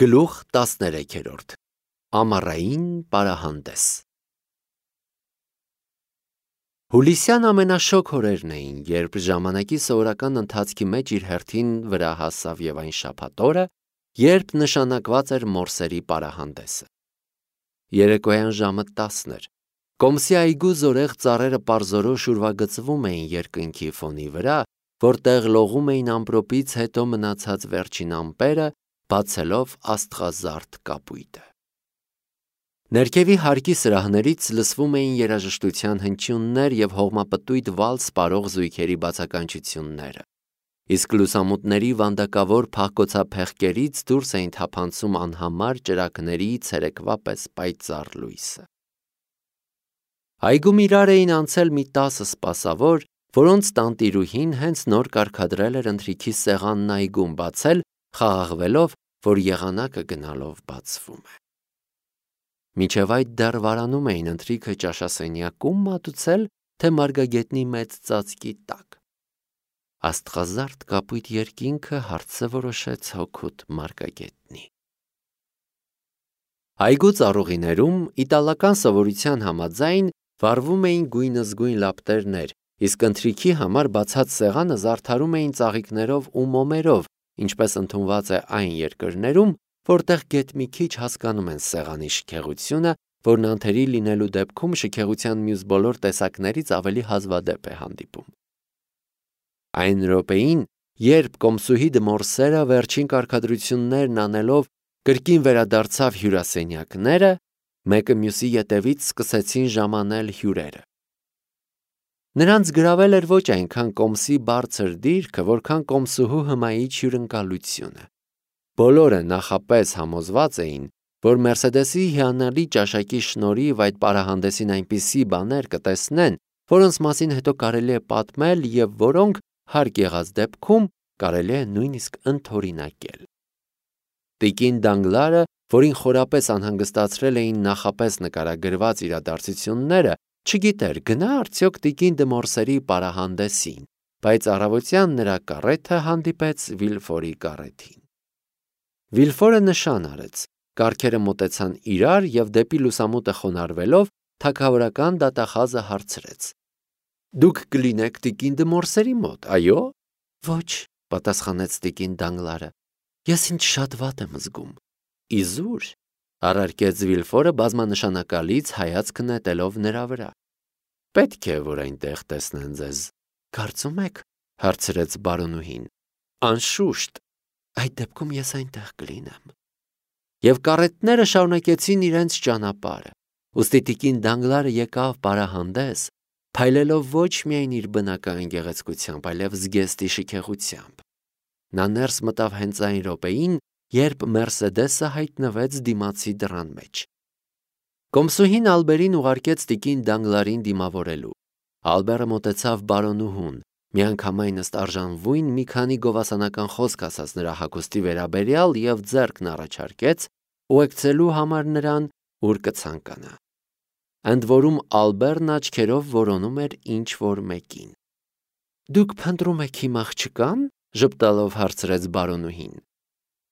Գլուխ 13 Ամառային պարահանդես Հուլիսյան ամենաշոգ օրերն էին, երբ ժամանակի սովորական ընթացքի մեջ իր հերթին վրա հասավ և այն շաբաթ օրը, երբ նշանակված էր մորսերի պարահանդեսը։ Երեկոյան ժամը 10 էր։ Կոմսի այգու զորեղ ծառերը պարզորոշ ուրվագծվում էին երկնքի ֆոնի վրա, որտեղ լողում էին ամպրոպից հետո մնացած վերջին ամպերը, բացելով աստղազարդ կապույտը։ Ներքևի հարկի սրահներից լսվում էին երաժշտության հնչյուններ և հողմապտույտ վալս պարող զույգերի բացականչությունները, իսկ լուսամուտների վանդակավոր փախկոցափեղկերից դուրս էին թափանցում անհամար ճրագների ցերեկվա պես պայծառ լույսը։ Այգում իրար էին անցել մի 10 սպասավոր, որոնց տանտիրուհին հենց նոր կարգադրել էր ընթրիքի սեղանն այգում բացել, խաղաղվելով, որ եղանակը գնալով բացվում է։ Մինչև այդ դեռ վարանում էին ընթրիքը ճաշասենյակում մատուցել, թե մարգագետնի մեծ ծածկի տակ։ Աստղազարդ կապույտ երկինքը հարցը որոշեց հօգուտ մարգագետնի։ Այգու ծառուղիներում իտալական սովորության համաձայն վառվում էին գույնզգույն լապտերներ, իսկ ընթրիքի համար բացած սեղանը զարդարում էին ծաղիկներով ու մոմերով, ինչպես ընդունված է այն երկրներում, որտեղ գեթ մի քիչ հասկանում են սեղանի շքեղությունը, որն անթերի լինելու դեպքում շքեղության մյուս բոլոր տեսակներից ավելի հազվադեպ է հանդիպում։ Այն րոպեին, երբ կոմսուհի դմորսերը վերջին կարգադրություններն անելով կրկին վերադարձավ հյուրասենյակները, մեկը մյուսի ետևից սկսեցին ժամանել հյուրերը։ Նրանց գրավել էր ոչ այնքան կոմսի բարձր դիրքը, որքան կոմսուհու հմայիչ հյուրընկալությունը։ Բոլորը նախապես համոզված էին, որ Մերսեդեսի հիանալի ճաշակի շնորհիվ այդ պարահանդեսին այնպիսի բաներ կտեսնեն, որոնց մասին հետո կարելի է պատմել և որոնք, հարկ եղած դեպքում, կարելի է նույնիսկ ընդօրինակել։ Տիկին Դանգլարը, որին խորապես անհանգստացրել էին նախապես նկարագրված իրադարձությունները, չգիտեր գնա արդյոք տիկին դմորսերի պարահանդեսին, բայց առավոտյան նրա կառեթը հանդիպեց Վիլֆորի կառեթին։ Վիլֆորը նշան արեց, կառքերը մոտեցան իրար և դեպի լուսամուտը խոնարհվելով թագավորական դատախազը հարցրեց. «Դուք կլինեք տիկին դմորսերի մոտ, այո՞»։ «Ոչ», պատասխանեց տիկին Դանգլարը, «ես ինձ շատ վատ եմ զգում»։ «Իզուր», առարկեց Վիլֆորը բազմանշանակալից հայացք նետելով նրա վրա։ «Պետք է, որ այնտեղ տեսնեն ձեզ»։ «Կարծում եք», հարցրեց բարոնուհին։ «Անշուշտ, այդ դեպքում ես այնտեղ կլինեմ»։ Եվ կառետները շարունակեցին իրենց ճանապարհը։ Ուստի տիկին Դանգլարը եկավ պարահանդես, փայլելով ոչ միայն իր բնական գեղեցկությամբ, այլև զգեստի շքեղությամբ։ Նա ներս մտավ հենց այն րոպեին, երբ Մերսեդեսը հայտնվեց դիմացի դռան մեջ։ Կոմսուհին Ալբերին ուղարկեց տիկին Դանգլարին դիմավորելու։ Ալբերը մոտեցավ բարոնուհուն, միանգամայն ըստ արժանվույն մի քանի գովասանական խոսք ասաց նրա հագուստի վերաբերյալ և ձեռքն առաջարկեց ուղեկցելու համար նրան, ուր կցանկանա։ Ընդ որում Ալբերն աչքերով որոնում էր ինչ-որ մեկին։ «Դուք փնտրում եք իմ աղջկա՞ն», ժպտալով հարցրեց բարոնուհին։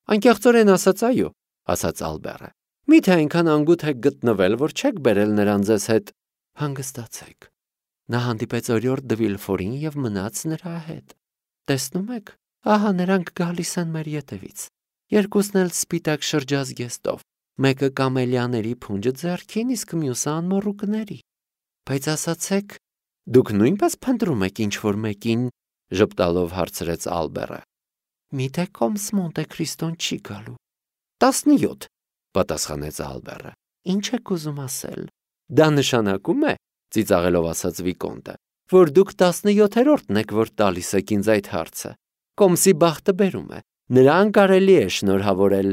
«Անկեղծորեն ասած, այո», ասաց Ալբերը։ «Միթե այնքան անգութ եք գտնվել, որ չեք բերել նրան ձեզ հետ»։ «Հանգստացեք, նա հանդիպեց օրիորդ դը Վիլֆորին և մնաց նրա հետ։ Տեսնում եք, ահա նրանք գալիս են մեր ետևից, երկուսն էլ սպիտակ շրջազգեստով, մեկը կամելիաների փունջը ձեռքին, իսկ մյուսը անմոռուկների։ Բայց ասացեք, դուք նույնպես փնտրում եք ինչ-որ մեկին», ժպտալով հարցրեց Ալբերը։ «Միթե կոմս Մոնտե Քրիստոն չի գալու»։ 17, պատասխանեց Ալբերը։ «Ինչ եք ուզում ասել»։ «Դա նշանակում է», ծիծաղելով ասաց Վիկոնտը, «որ դուք 17-րդն եք, որ տալիս եք ինձ այդ հարցը։ Կոմսի բախտը բերում է, նրան կարելի է շնորհավորել»։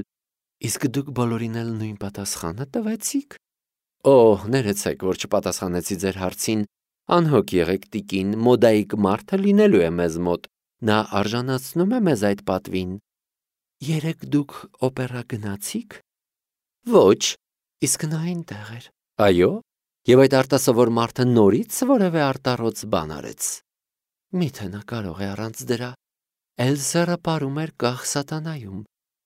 «Իսկ դուք բոլորին էլ նույն պատասխանը տվեցիք»։ «Օհ, ներեցեք, որ չպատասխանեցի ձեր հարցին։ Անհոգ եղեք, տիկին, մոդայիկ մարդը լինելու է մեզ մոտ, նա արժանացնում է մեզ այդ պատվին»։ «Երեկ դուք օպերա գնացի՞ք»։ «Ոչ»։ «Իսկ նա այնտեղ էր»։ «Այո»։ «Եվ այդ արտասովոր մարդը նորից որևէ արտառոց բան արեց»։ «Միթե նա կարող է առանց դրա»։ «Էլզերը պարում էր կախ սատանայում»։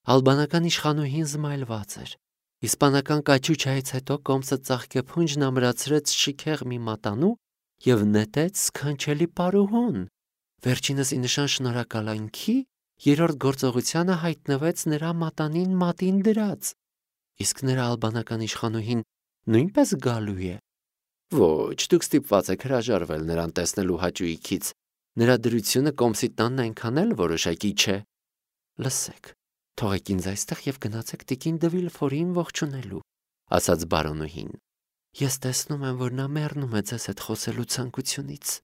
Ալբանական իշխանուհին զմայլված էր։ Իսպանական կաչուչայից հետո Կոմսը ծաղկեփունջն ամրացրեց շիքեղ մի մատանու և նետեց սքանչելի պարուհուն։ Վերջինս ի նշան շնորհակալանքի երրորդ գործողությանը հայտնվեց նրա մատանին մատին դրած։ Իսկ նրա ալբանական իշխանուհին նույնպես գալու է։ Ոչ, դուք ստիպված եք հրաժարվել նրան տեսնելու հաճույքից։ Նրա դրությունը Կոմսի տանն այնքան էլ որոշակի չէ։ Լսեք, թողեք ինձ այստեղ և գնացեք տիկին դը Վիլֆորին ողջունելու, ասաց բարոնուհին։ Ես տեսնում եմ, որ նա մեռնում է ձեզ հետ խոսելու ցանկությունից։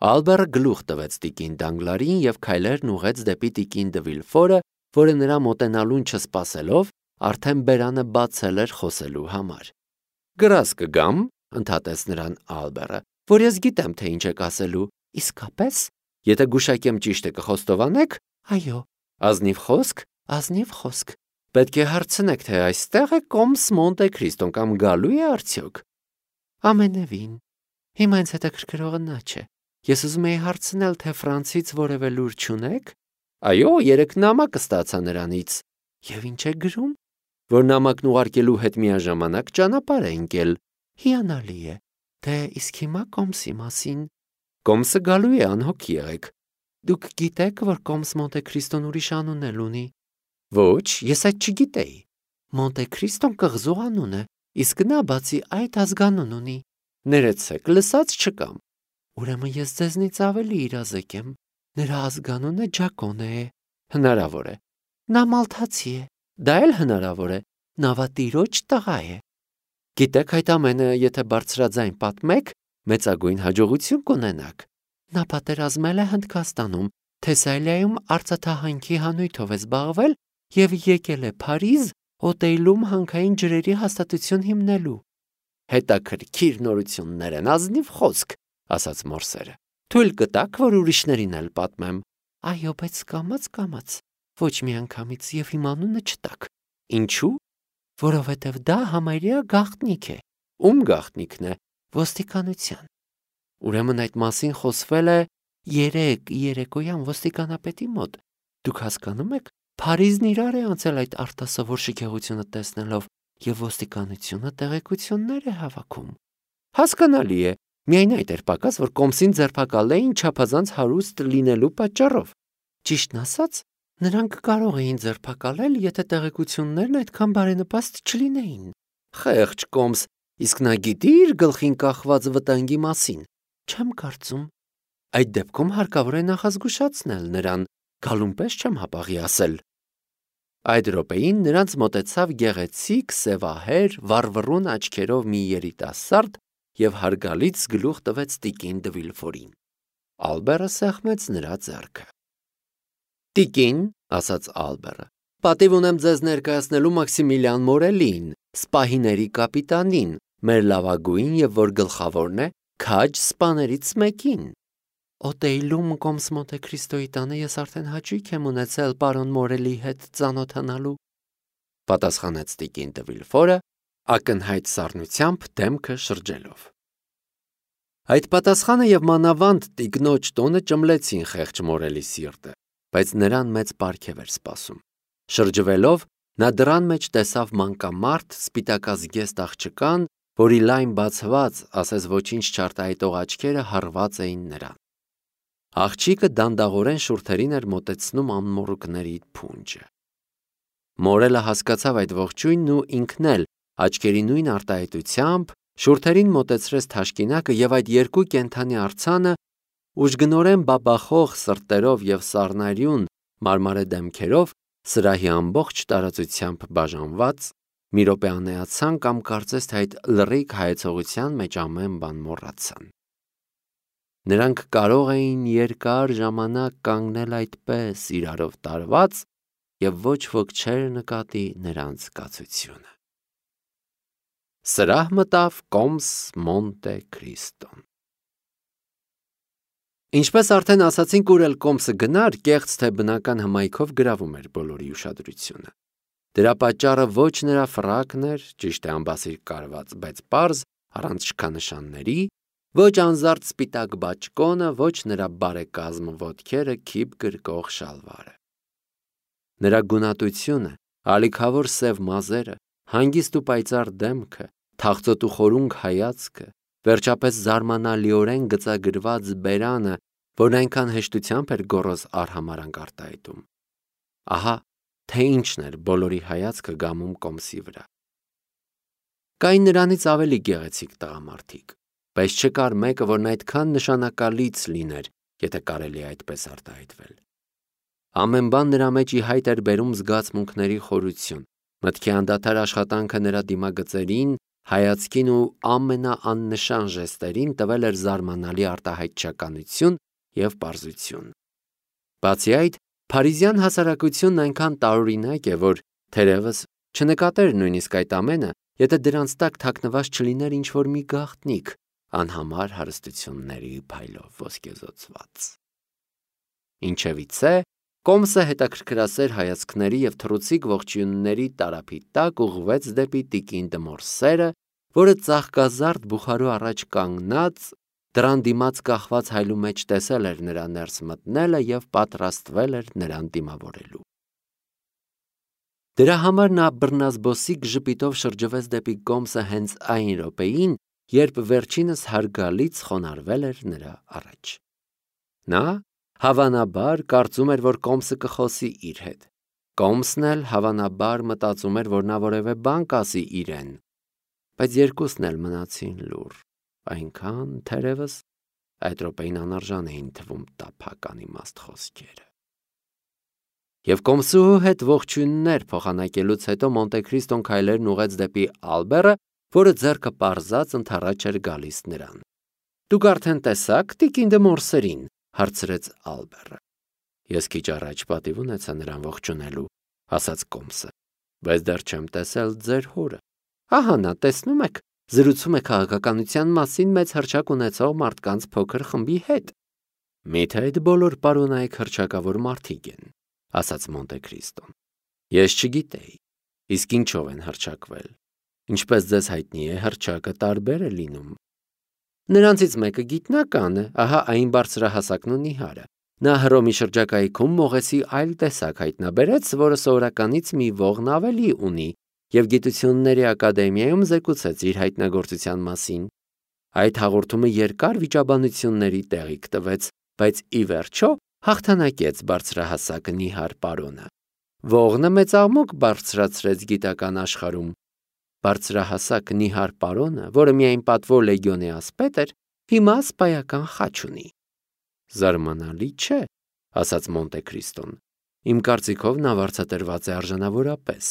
Ալբերը գլուխ տվեց տիկին Դանգլարին և քայլերն ուղղեց դեպի տիկին դը Վիլֆորը, որը նրա մոտենալուն չսպասելով արդեն բերանը բացել էր խոսելու համար։ Գրազ կգամ, ընդհատեց նրան Ալբերը, որ ես գիտեմ, թե ինչ եք ասելու։ Իսկապես, եթե գուշակեմ ճիշտը կխոստովանեք, այո, ազնիվ խոսք, պետք է հարցնեք, թե այստեղ է Կոմս Մոնտե Քրիստոն կամ գալու է արդյոք։ Ամենևին, հիմա ինձ հետաքրքրողը նա չէ։ Ես ուզում էի հարցնել, թե Ֆրանսից որևէ լուր չունեք։ Այո, 3 նամակ ստացա նրանից։ Եվ ինչ է գրում, որ նամակն ուղարկելու հետ միաժամանակ ճանապարհ է ընկել։ Հիանալի է։ Դե իսկ հիմա Կոմսի մասին։ Կոմսը գալու է, անհոգ եղեք։ Դուք գիտեք, որ Կոմս Մոնտե Քրիստոն ուրիշ անուն էլ ունի։ Ոչ, ես այդ չգիտեի։ Մոնտե Քրիստոն կղզու անուն է, իսկ նա բացի այդ ազգանուն ունի։ Ներեցեք, լսած չկամ։ Ուրեմն ես ձեզնից ավելի իրազեկ եմ։ Նրա ազգանունը Ջակոնե է։ Հնարավոր է։ Նա մալթացի է։ Դա էլ հնարավոր է։ Նավատիրոջ տղա է։ Գիտեք, այդ ամենը, եթե բարձրաձայն պատմեք, մեծագույն հաջողություն կունենաք։ Նա պատերազմել է Հնդկաստանում, Թեսալիայում արծաթահանքի հանույթով է զբաղվել և եկել է Փարիզ օտեյլում հանքային ջրերի հաստատություն հիմնելու։ Հետաքրքիր նորություններ են, ազնիվ խոսք, ասաց մորսերը։ Թույլ կտաք, որ ուրիշներին էլ պատմեմ։ Այո, բայց կամաց, ոչ միանգամից և իմ անունը չտաք։ Ինչու՞։ Որովհետև դա համարյա գաղտնիք է։ Ում գաղտնիքն է։ Ոստիկանության։ Ուրեմն այդ մասին խոսվել է երեկոյան ոստիկանապետի մոտ։ Դուք հասկանում եք, Փարիզն իրար է անցել այդ արտասովոր շքեղությունը տեսնելով, և ոստիկանությունը տեղեկություններ է հավաքում։ Հասկանալի է, միայն այդ էր պակաս, որ Կոմսին ձերբակալեին չափազանց հարուստ լինելու պատճառով։ Ճիշտն ասած, նրանք կարող էին ձերբակալել, եթե տեղեկություններն այդքան բարենպաստ չլինեին։ Խեղճ Կոմս, իսկ նա գիտի իր գլխին կախված վտանգի մասին։ Չեմ կարծում։ Այդ դեպքում հարկավոր է նախազգուշացնել նրան, գալուն պես չեմ հապաղի ասել։ Այդ րոպեին նրանց մոտեցավ գեղեցիկ, սևահեր, վառվռուն աչքերով մի երիտասարդ և հարգալից գլուխ տվեց տիկին դը Վիլֆորին։ Ալբերը սեղմեց նրա ձեռքը։ Տիկին, ասաց Ալբերը, պատիվ ունեմ ձեզ ներկայացնելու Մաքսիմիլիան Մորելին, սպահիների կապիտանին, մեր լավագույն և որ գլխավորն է, քաջ սպաներից մեկին։ Օտեյլում Կոմս Մոնտե Քրիստոյի տանը ես արդեն հաճույք եմ ունեցել պարոն Մորելի հետ ծանոթանալու, պատասխանեց տիկին դը Վիլֆորը, ակնհայտ սառնությամբ դեմքը շրջելով։ Այդ պատասխանը և մանավանդ տիկնոջ տոնը ճմլեցին խեղճ Մորելի սիրտը, բայց նրան մեծ պարգև էր սպասում։ Շրջվելով, նա դռան մեջ տեսավ մանկամարդ սպիտակազգեստ աղջկան, որի լայն բացված, ասես ոչինչ չարտահայտող աչքերը հառված էին նրան։ Աղջիկը դանդաղորեն շուրթերին էր մոտեցնում անմոռուկների փունջը։ Մորելը հասկացավ այդ ողջույնն ու ինքն էլ աչքերի նույն արտահայտությամբ շուրթերին մոտեցրեց թաշկինակը և այդ երկու կենդանի արձանը ուժգնորեն բաբախող սրտերով և սառնարյուն մարմարե դեմքերով սրահի ամբողջ տարածությամբ բաժանված մի րոպե անեացան կամ կարծես թե այդ լռիկ հայեցողության մեջ ամեն բան մոռացան։ Նրանք կարող էին երկար ժամանակ կանգնել այդպես իրարով տարված և ոչ ոք չէր նկատի նրանց կացությունը։ Սրահ մտավ Կոմս Մոնտե Քրիստոն։ Ինչպես արդեն ասացինք, ուր էլ Կոմսը գնար, կեղծ թե բնական հմայքով գրավում էր բոլորի ուշադրությունը։ Դրա պատճառը ոչ նրա ֆրակն էր, ճիշտ է ամբասիր կարված, բայց պարզ, առանց շքանշանների, ոչ անզարդ սպիտակ բաճկոնը, ոչ նրա բարեկազմ ոտքերը քիփ գրկող շալվարը։ Նրա գունատությունը, ալիքավոր սև մազերը, հանգիստ ու պայծառ դեմքը, թախծոտ ու խորունգ հայացքը, վերջապես զարմանալիորեն գծագրված բերանը, որն այնքան հեշտությամբ էր գոռոզ արհամարհանք արտահայտում։ Ահա թե ինչն էր բոլորի հայացքը գամում Կոմսի վրա։ Կային նրանից ավելի գեղեցիկ տղամարդիկ, բայց չկար մեկը, որն այդքան նշանակալից լիներ, եթե կարելի է այդպես արտահայտվել։ Ամեն բան նրա մեջ ի հայտ էր բերում զգացմունքների խորություն, մտքի անդադար աշխատանքը նրա դիմագծերին, հայացքին ու ամենաաննշան ժեստերին տվել էր զարմանալի արտահայտչականություն և պարզություն։ Բացի այդ, փարիզյան հասարակությունն այնքան տարօրինակ է, որ թերևս չնկատեր նույնիսկ այդ ամենը, եթե դրանց տակ թաքնված չլիներ ինչ-որ մի գաղտնիք, անհամար հարստությունների փայլով ոսկեզօծված։ Ինչևիցե, Կոմսը հետաքրքրասեր հայացքների և թռուցիկ ողջույնների տարափի տակ ուղղվեց դեպի տիկին Դմորսերը, որը ծաղկազարդ բուխարու առաջ կանգնած, դռան դիմաց կախված հայլու մեջ տեսել էր նրա ներս մտնելը և պատրաստվել էր նրան դիմավորելու։ Դրա համար նա բռնազբոսիկ ժպիտով շրջվեց դեպի Կոմսը հենց այն րոպեին, երբ վերջինս հարգալից խոնարհվել էր նրա առաջ։ Նա, հավանաբար, կարծում էր, որ Կոմսը կխոսի իր հետ։ Կոմսն էլ, հավանաբար, մտածում էր, որ նա որևէ բան կասի իրեն, բայց երկուսն էլ մնացին լուռ, այնքան, թերևս, այդ րոպեին անարժան էին թվում տափակ անիմաստ խոսքերը։ Եվ Կոմսուհու հետ ողջույններ փոխանակելուց հետո Մոնտե Քրիստոն քայլերն ուղղեց դեպի Ալբերը, որը ձեռքը պարզած ընդառաջ էր գալիս նրան։ Դուք արդեն տեսաք տիկին Դմորսերին, հարցրեց Ալբերը։ Ես քիչ առաջ պատիվ ունեցա նրան ողջունելու, ասաց Կոմսը, բայց դեռ չեմ տեսել ձեր հորը։ Ահա նա, տեսնում եք, զրուցում է քաղաքականության մասին մեծ հռչակ ունեցող մարդկանց փոքր խմբի հետ։ Միթե այդ բոլոր պարոնայք հռչակավոր մարդիկ են, ասաց Մոնտե Քրիստոն։ Ես չգիտեի, իսկ ինչով են հռչակվել։ Ինչպես ձեզ հայտնի է, հռչակը տարբեր է լինում։ Նրանցից մեկը գիտնական է, ահա այն բարձրահասակն ու նիհարը։ Նա Հռոմի շրջակայքում մողեսի այլ տեսակ հայտնաբերեց, որը սովորականից մի ողն ավելի ունի, և Գիտությունների ակադեմիայում զեկուցեց իր հայտնագործության մասին։ Այդ հաղորդումը երկար վիճաբանությունների տեղիք տվեց, բայց ի վերջո հաղթանակեց բարձրահասակը նիհար պարոնը։ Ողնը մեծ աղմուկ բարձրացրեց գիտական աշխարհում։ Բարձրահասակ նիհար պարոնը, որը միայն պատվո լեգիոնի ասպետ էր, հիմա սպայական խաչ ունի։ Զարմանալի չէ, ասաց Մոնտե Քրիստոն։ Իմ կարծիքով նա վարձատրված է արժանավորապես,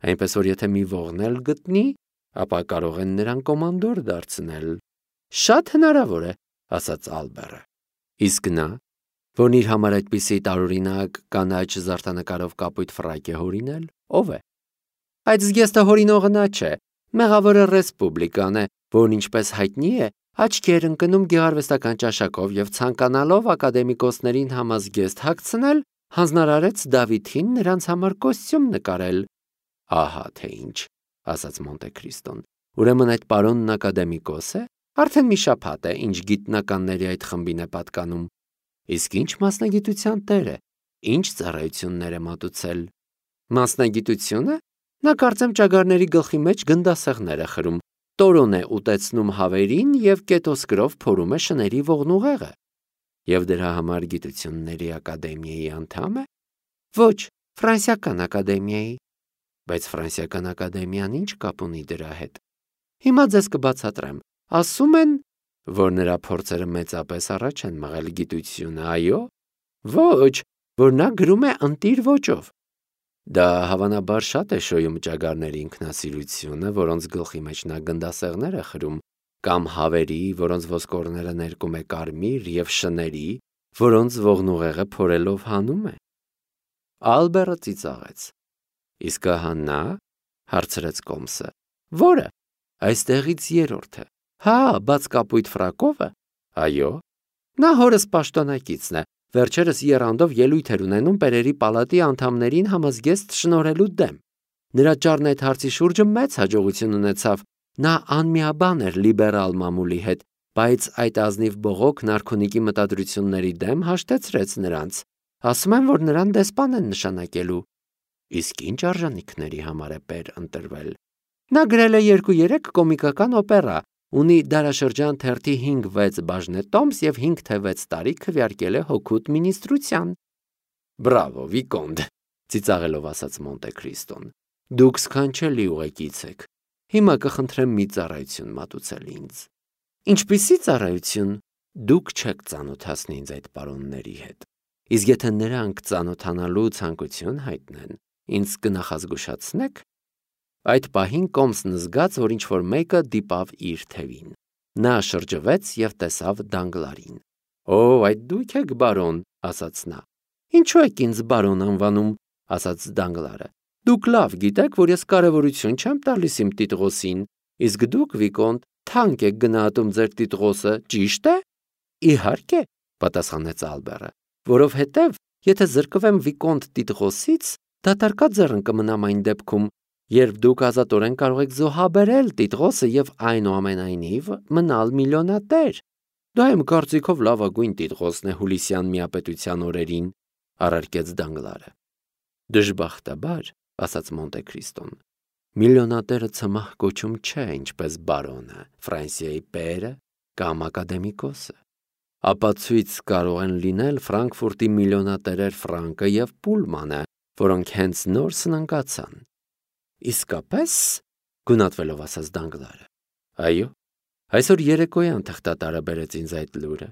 այնպես որ եթե մի ողն էլ գտնի, ապա կարող են նրան կոմանդոր դարձնել։ Շատ հնարավոր է, ասաց Ալբերը։ Իսկ նա, որն իր համար այդպիսի տարօրինակ կանաչ զարդանկարով կապույտ ֆրակ է հորինել, ով է։ Այդ զգեստը հորինողը նա չէ, մեղավորը ռեսպուբլիկան է, որն ինչպես հայտնի է, աչքի էր ընկնում գեղարվեստական ճաշակով և ցանկանալով ակադեմիկոսներին համազգեստ հագցնել, հանձնարարեց Դավիթին նրանց համար կոստյում նկարել։ Ահա թե ինչ, ասաց Մոնտե Քրիստոն։ Ուրեմն այդ պարոնն ակադեմիկոս է, արդեն մի շաբաթ է, ինչ գիտնականների այդ խմբին է պատկանում։ Իսկ ինչ մասնագիտության տեր է, ինչ ծառայություններ է մատուցել։ Մասնագիտությունը։ Նա կարծեմ ճագարների գլխի մեջ գնդասեղներ է խրում, տորոն է ուտեցնում հավերին և կետոսկրով փորում է շների ողնուղեղը։ Եվ դրա համար Գիտությունների ակադեմիայի անդամ է։ Ոչ, Ֆրանսիական ակադեմիայի։ Բայց Ֆրանսիական ակադեմիան ինչ կապ ունի դրա հետ։ Հիմա ձեզ կբացատրեմ։ Ասում են, որ նրա փորձերը մեծապես առաջ են մղել գիտությունը, այո։ Ոչ, որ նա գրում է ընտիր ոճով։ Դա հավանաբար շատ է շոյում ճագարների ինքնասիրությունը, որոնց գլխի մեջ նա գնդասեղներ է խրում, կամ հավերի, որոնց ոսկորները ներկում է կարմիր, և շների, որոնց ողնուղեղը փորելով հանում է։ Ալբերը ծիծաղեց։ Իսկ ահա նա, հարցրեց Կոմսը։ Որը։ Այստեղից երրորդը։ Հա, բաց կապույտ ֆրակովը։ Այո։ Նա հորս պաշտոնակիցն է, վերջերս եռանդով ելույթ էր ունենում Պերերի պալատի անդամներին համազգեստ շնորհելու դեմ։ Նրա ճառն այդ հարցի շուրջը մեծ հաջողություն ունեցավ։ Նա անմիաբան էր լիբերալ մամուլի հետ, բայց այդ ազնիվ բողոքն արքունիքի մտադրությունների դեմ հաշտեցրեց նրանց։ Ասում են, որ նրան դեսպան են նշանակելու։ Իսկ ինչ արժանինքների համար է Պեր ընտրվել։ Նա գրել է 2-3 կոմիկական օպերա, ունի դարաշրջան թերթի 5-6 բաժնետոմս և 5 թե 6 տարի քվեարկել է հօգուտ մինիստրության։ Բրավո, Վիկոնտ, ծիծաղելով ասաց Մոնտե Քրիստոն։ Դուք սքանչելի ուղեկից եք։ Հիմա կխնդրեմ մի ծառայություն մատուցել ինձ։ Ինչպիսի ծառայություն։ Դուք չեք ծանոթացնի ինձ այդ պարոնների հետ։ Իսկ եթե նրանք ծանոթանալու ցանկություն հայտնեն, ինձ կնախազգուշացնեք։ Այդ պահին Կոմսն զգաց, որ ինչ-որ մեկը դիպավ իր թևին։ Նա շրջվեց և տեսավ Դանգլարին։ Օ, այդ դուք եք, բարոն, ասաց նա։ Ինչու եք ինձ բարոն անվանում, ասաց Դանգլարը։ Դուք լավ գիտեք, որ ես կարևորություն չեմ տալիս իմ տիտղոսին, իսկ դուք, Վիկոնտ, թանկ եք գնահատում ձեր տիտղոսը, ճիշտ է։ Իհարկե, պատասխանեց Ալբերը, որովհետև եթե զրկվեմ Վիկոնտ տիտղոսից, դատարկած ձեռն կմնամ այն դեպքում, երբ դուք ազատորեն կարող եք զոհաբերել տիտղոսը և այնուամենայնիվ մնալ միլիոնատեր։ Դա իմ կարծիքով լավագույն տիտղոսն է Հուլիսյան միապետության օրերին, առարկեց Դանգլարը։ Դժբախտաբար, ասաց Մոնտե Քրիստոն, միլիոնատերը ցմահ կոչում չէ, ինչպես բարոնը, Ֆրանսիայի Պերը կամ ակադեմիկոսը։ Ապացույց կարող են լինել Ֆրանկֆուրտի միլիոնատերեր Ֆրանկը և Պուլմանը, որոնք հենց նոր սնանկացան։ Իսկապես, գունատվելով ասաց Դանգլարը։ Այո, այսօր երեկոյան թղթատարը բերեց ինձ այդ լուրը։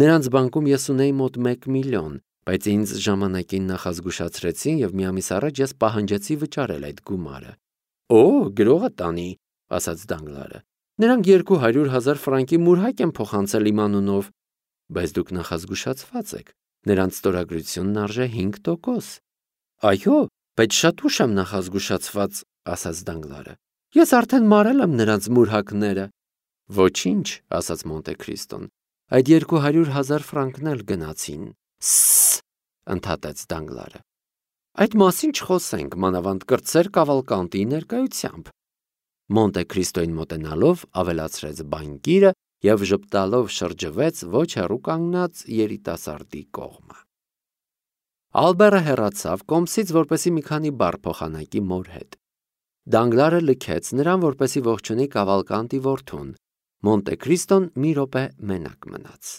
Նրանց բանկում ես ունեի մոտ 1 միլիոն, բայց ինձ ժամանակին նախազգուշացրեցին և մի ամիս առաջ ես պահանջեցի վճարել այդ գումարը։ Օ, գրողը տանի, ասաց Դանգլարը։ Նրանք 200,000 ֆրանկի մուրհակ են փոխանցել իմ անունով, բայց դուք նախազգուշացված եք, նրանց ստորագրությունն արժե 5%։ Այո, բայց շատ ուշ եմ նախազգուշացված, ասաց Դանգլարը։ Ես արդեն մարել եմ նրանց մուրհակները։ Ոչինչ, ասաց Մոնտե Քրիստոն, այդ 200,000 ֆրանկն էլ գնացին։ Սս, ընդհատեց Դանգլարը։ Այդ մասին չխոսենք, մանավանդ կրտսեր Կավալկանտի ներկայությամբ։ Մոնտե Քրիստոին մոտենալով ավելացրեց բանկիրը և ժպտալով շրջվեց ոչ հեռու կանգնած երիտասարդի կողմը։ Ալբերը հեռացավ Կոմսից, որպեսզի մի քանի բառ փոխանակի մոր հետ։ Դանգլարը լքեց նրան, որպեսզի ողջունի Կավալկանտի որդուն։ Մոնտե Քրիստոն մի րոպե մենակ մնաց։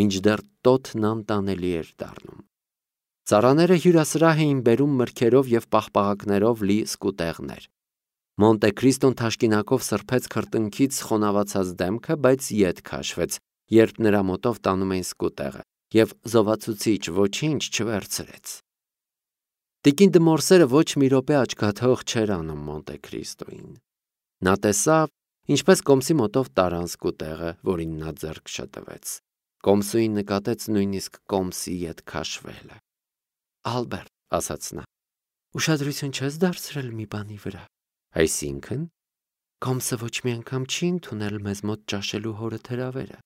Մինչդեռ տոթն անտանելի էր դառնում։ Ծառաները հյուրասրահ էին բերում մրգերով և պաղպաղակներով լի սկուտեղներ։ Մոնտե Քրիստոն թաշկինակով սրբեց քրտինքից խոնավացած դեմքը, բայց ետ քաշվեց, երբ նրա մոտով տանում էին սկուտեղը, և զովացուցիչ ոչինչ չվերցրեց։ Տիկին Դմորսերը ոչ մի րոպե աչքաթող չէր անում Մոնտե Քրիստոին։ Նա տեսավ, ինչպես Կոմսի մոտով տարան սկուտեղը, որին նա ձեռք շտվեց։ Կոմսուին նկատեց նույնիսկ Կոմսի ետ քաշվելը։ Ալբերտ, ասաց նա, ուշադրություն չես դարձրել մի բանի վրա։ Այսինքն, Կոմսը ոչ մի անգամ չի ընդունել մեզ մոտ ճաշելու հորդ հրավերը։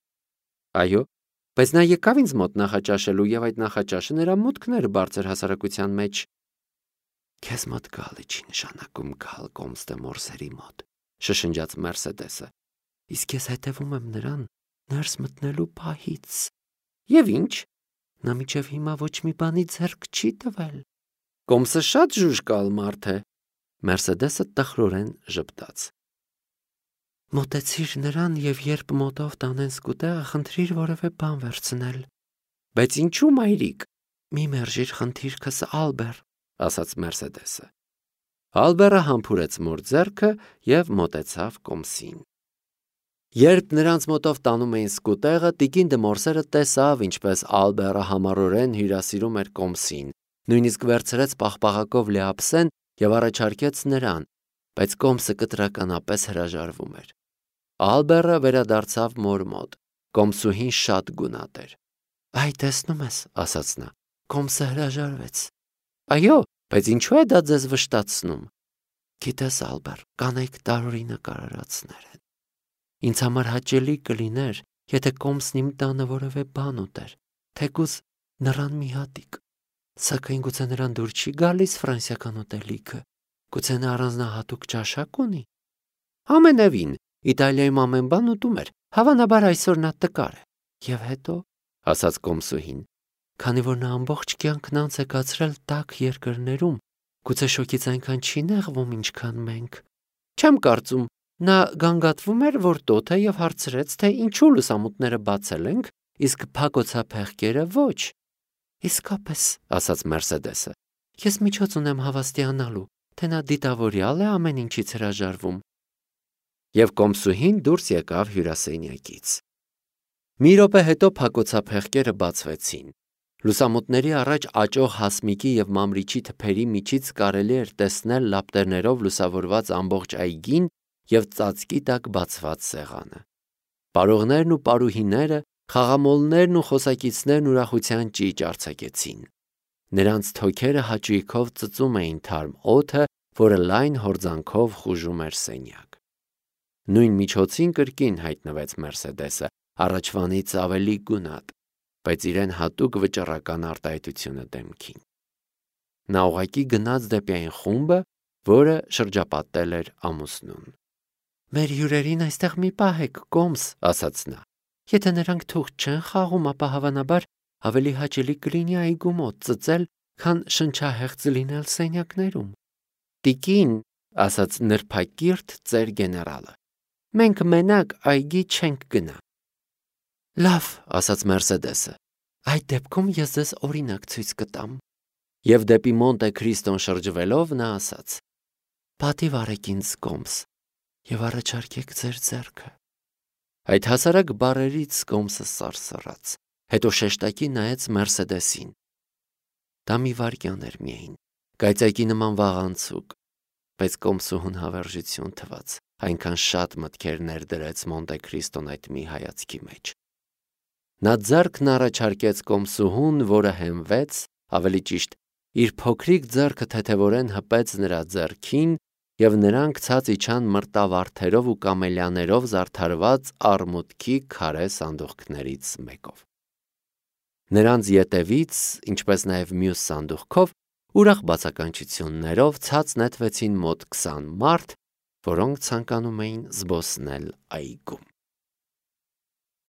Այո, բայց նա եկավ ինձ մոտ նախաճաշելու և այդ նախաճաշը նրա մուտքն էր բարձր հասարակության մեջ։ Քեզ մոտ գալը չի նշանակում գալ Կոմս դե Մորսերի մոտ, շշնջաց Մերսեդեսը։ Իսկ ես հետևում եմ նրան ներս մտնելու պահից։ Եվ ինչ։ Նա մինչև հիմա ոչ մի բանի ձեռք չի տվել։ Կոմսը շատ ժուժկալ մարդ է։ Մերսեդեսը տխրորեն ժպտաց։ Մոտեցիր նրան և երբ մոտով տանեն սկուտեղը, խնդրիր որևէ բան վերցնել։ Բայց ինչու, մայրիկ։ Մի մերժիր խնդիրքս, Ալբեր, ասաց Մերսեդեսը։ Ալբերը համբուրեց մոր ձեռքը և մոտեցավ Կոմսին։ Երբ նրանց մոտով տանում էին սկուտեղը, տիկին Դմորսերը տեսավ, ինչպես Ալբերը համառորեն հյուրասիրում էր Կոմսին, նույնիսկ վերցրեց պաղպաղակով լեափսեն և առաջարկեց նրան, բայց Կոմսը կտրականապես հրաժարվում էր։ Ալբերը վերադարձավ մոր մոտ։ Կոմսուհին շատ գունատ էր։ Այ տեսնում ես, ասաց նա, Կոմսը հրաժարվեց։ Այո, բայց ինչու է դա ձեզ վշտացնում։ Գիտես, Ալբեր, կանայք տարօրինակ արարածներ են։ Ինձ համար հաճելի կլիներ, եթե Կոմսն իմ տանը որևէ բան ուտեր, թեկուզ նրան մի հատիկ։ Սակայն գուցե նրան դուր չի գալիս ֆրանսիական ուտելիքը։ Գուցե նա առանձնահատուկ ճաշակ ունի։ Ամենևին, Իտալիայում ամեն բան ուտում էր, հավանաբար այսօր նա տկար է։ Եվ հետո, ասաց Կոմսուհին, քանի որ նա ամբողջ կյանքն անց է կացրել տաք երկրներում, Գուցե շոգից այնքան չի նեղվում, ինչքան մենք։ Չեմ կարծում, նա գանգատվում էր, որ տոթ է և հարցրեց, թե ինչու լուսամուտները բացել ենք, իսկ փակոցափեղկերը ոչ։ Իսկապես, ասաց Մերսեդեսը, ես միջոց ունեմ հավաստիանալու, թե նա դիտավորյալ է ամեն ինչից հրաժարվում։ Եվ կոմսուհին դուրս եկավ հյուրասենյակից։ Մի րոպե հետո փակոցափեղկերը բացվեցին։ Լուսամուտների առաջ աճող հասմիկի և մամրիչի թփերի միջից կարելի էր տեսնել լապտերներով լուսավորված ամբողջ այգին և ծածկի տակ բացված սեղանը։ Պարողներն ու պարուհիները, խաղամոլներն ու խոսակիցներն ուրախության ճիճ արձակեցին։ Նրանց թոքերը հաճույքով ծծում էին թարմ օդը, որը լայն հորձանքով խուժում էր սենյակ։ Նույն միջոցին կրկին հայտնվեց Մերսեդեսը, առաջվանից ավելի գունատ, բայց իրեն հատուկ վճռական արտահայտությունը դեմքին։ Նա ուղղակի գնաց դեպի այն խումբը, որը շրջապատել էր ամուսնուն։ «Մեր հյուրերին այստեղ մի պահեք, կոմս», ասաց նա։ «Եթե նրանք թուղթ չեն խաղում, ապա հավանաբար ավելի հաճելի կլինի այգու մոտ ծծել, քան շնչահեղձ լինել սենյակներում»։ «Տիկին», ասաց նրբակիրթ ծեր գեներալը, «մենք մենակ այգի չենք գնա»։ «Լավ», ասաց Մերսեդեսը, «այդ դեպքում ես ձեզ օրինակ ցույց կտամ»։ Եվ դեպի Մոնտե Քրիստոն շրջվելով նա ասաց. «Պատիվ արեք ինձ, կոմս, և առաջարկեք ձեր ձեռքը»։ Այդ հասարակ բառերից կոմսը սարսռաց, հետո շեշտակի նայեց Մերսեդեսին։ Դա մի վայրկյան էր միայն, կայծակի նման վաղանցուկ, բայց կոմսուհուն հավերժություն թվաց, այնքան շատ մտքեր ներդրեց Մոնտե Քրիստոն այդ մի հայացքի մեջ։ Նա ձեռքն առաջարկեց կոմսուհուն, որը հենվեց, ավելի ճիշտ, իր փոքրիկ ձեռքը թեթևորեն հպեց նրա ձեռքին, և նրանք ցած իջան մրտավարդերով ու կամելիաներով զարդարված արմուտքի քարե սանդուղքներից մեկով։ Նրանց ետևից, ինչպես նաև մյուս սանդուղքով, ուրախ բացականչություններով ցած նետվեցին մոտ 20 մարդ, որոնք ցանկանում էին զբոսնել այգում։